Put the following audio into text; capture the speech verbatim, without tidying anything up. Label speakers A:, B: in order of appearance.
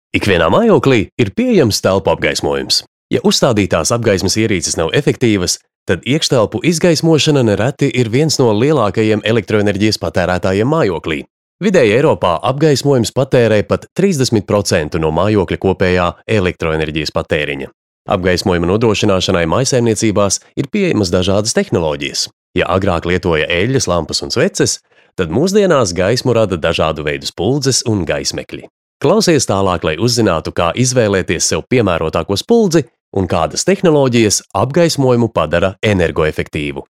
A: Ikvienā mājoklī ir pieejams telpu apgaismojums. Ja uzstādītās apgaismas ierīces nav efektīvas, tad iekštelpu izgaismošana nereti ir viens no lielākajiem elektroenerģijas patērētājiem mājoklī. Vidēji Eiropā apgaismojums patērē pat trīsdesmit procenti no mājokļa kopējā elektroenerģijas patēriņa. Apgaismojuma nodrošināšanai mājsaimniecībās ir pieejamas dažādas tehnoloģijas. Ja agrāk lietoja eļļas, lampas un sveces, tad mūsdienās gaismu rada dažādu veidu spuldzes un gaismekļi. Klausies tālāk, lai uzzinātu, kā izvēlēties sev piemērotāko spuldzi un kādas tehnoloģijas apgaismojumu padara energoefektīvu.